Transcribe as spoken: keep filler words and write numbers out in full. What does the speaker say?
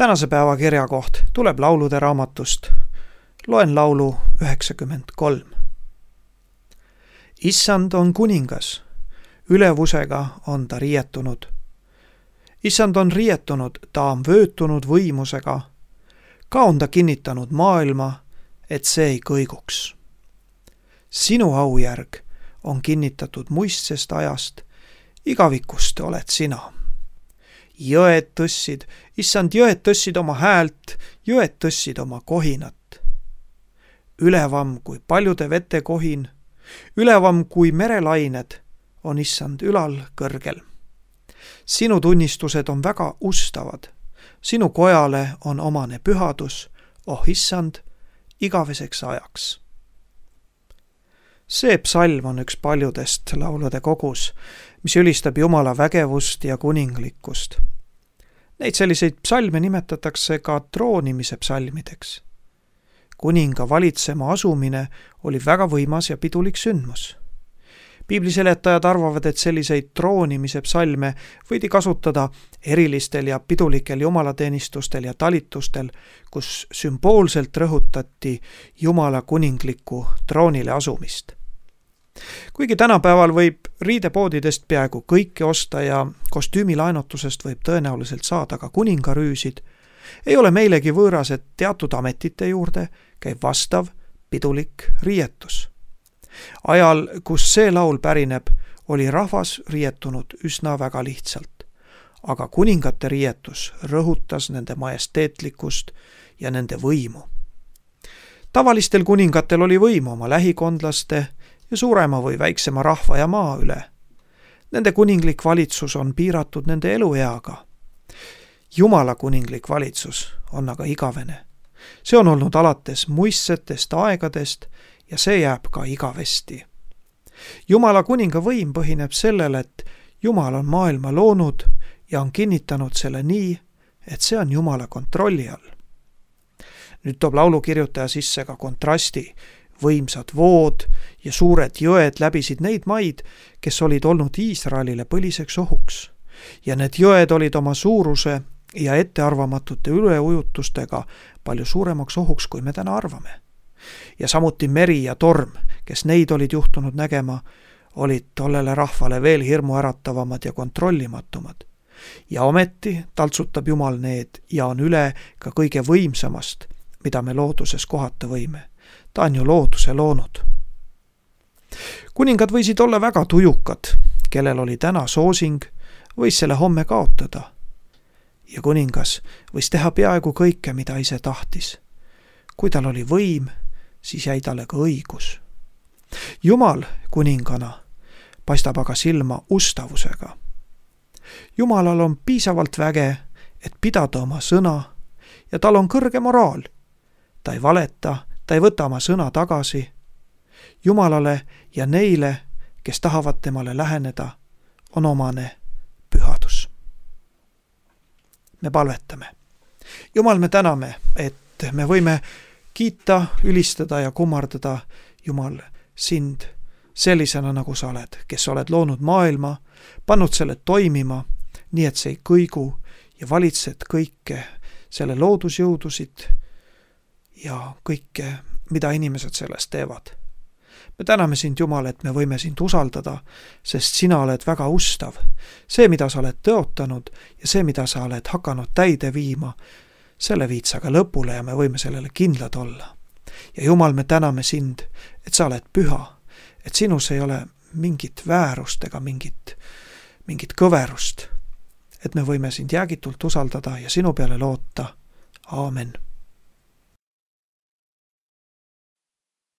Tänase päeva kirjakoht tuleb laulude raamatust. Loen laulu üheksakümmend kolm. Issand on kuningas, ülevusega on ta riietunud. Issand on riietunud, ta on vöötunud võimusega. Ka on ta kinnitanud maailma, et see ei kõiguks. Sinu aujärg on kinnitatud muistsest ajast, igavikust oled sina. Jõed tõssid, issand jõed tõssid oma häält, jõed tõssid oma kohinat. Ülevam kui paljude vete kohin, ülevam kui merelained on issand ülal kõrgel. Sinu tunnistused on väga ustavad, sinu kojale on omane pühadus, oh issand, igaveseks ajaks. See psalm on üks paljudest laulude kogus, mis ülistab Jumala vägevust ja kuninglikkust. Neid selliseid psalme nimetatakse ka troonimise psalmideks. Kuninga valitsema asumine oli väga võimas ja pidulik sündmus. Piibliseletajad arvavad, et selliseid troonimise psalme võidi kasutada erilistel ja pidulikel jumalateenistustel ja talitustel, kus sümboolselt rõhutati Jumala kuninglikku troonile asumist. Kuigi tänapäeval võib riidepoodidest peaaegu kõike osta ja kostüümilaenutusest võib tõenäoliselt saada ka kuningarüüsid, ei ole meilegi võõras, et teatud ametite juurde käib vastav pidulik riietus. Ajal, kus see laul pärineb, oli rahvas riietunud üsna väga lihtsalt, aga kuningate riietus rõhutas nende majesteetlikkust ja nende võimu. Tavalistel kuningatel oli võimu oma lähikondlaste ja suurema või väiksema rahva ja maa üle. Nende kuninglik valitsus on piiratud nende elueaga. Jumala kuninglik valitsus on aga igavene. See on olnud alates muistsetest aegadest ja see jääb ka igavesti. Jumala kuninga võim põhineb sellel, et Jumal on maailma loonud ja on kinnitanud selle nii, et see on Jumala kontrolli all. Nüüd toob laulukirjutaja sisse ka kontrasti. Võimsad vood ja suured jõed läbisid neid maid, kes olid olnud Iisraelile põliseks ohuks. Ja need jõed olid oma suuruse ja ettearvamatute üleujutustega palju suuremaks ohuks, kui me täna arvame. Ja samuti meri ja torm, kes neid olid juhtunud nägema, olid tollele rahvale veel hirmuäratavamad ja kontrollimatumad. Ja ometi taltsutab Jumal need ja on üle ka kõige võimsamast, mida me looduses kohata võime. Ta on ju looduse loonud. Kuningad võisid olla väga tujukad, kellel oli täna soosing, võis selle homme kaotada. Ja kuningas võis teha peaaegu kõike, mida ise tahtis. Kui tal oli võim, siis jäi talle ka õigus. Jumal kuningana paistab aga silma ustavusega. Jumalal on piisavalt väge, et pidada oma sõna ja tal on kõrge moraal. Ta ei valeta, ta ei võta oma sõna tagasi. Jumalale ja neile, kes tahavad temale läheneda, on omane pühadus. Me palvetame. Jumal, me täname, et me võime kiita, ülistada ja kummardada, Jumal, sind sellisena, nagu sa oled, kes oled loonud maailma, pannud selle toimima, nii et see ei kõigu ja valitsed kõike selle loodusjõudusid ja kõike, mida inimesed sellest teevad. Me täname sind, Jumal, et me võime sind usaldada, sest sina oled väga ustav. See, mida sa oled tõotanud ja see, mida sa oled hakanud täide viima, selle viid sa ka lõpule ja me võime sellele kindlad olla. Ja Jumal, me täname sind, et sa oled püha, et sinus ei ole mingit väärust ega mingit, mingit kõverust, et me võime sind jäägitult usaldada ja sinu peale loota. Aamen.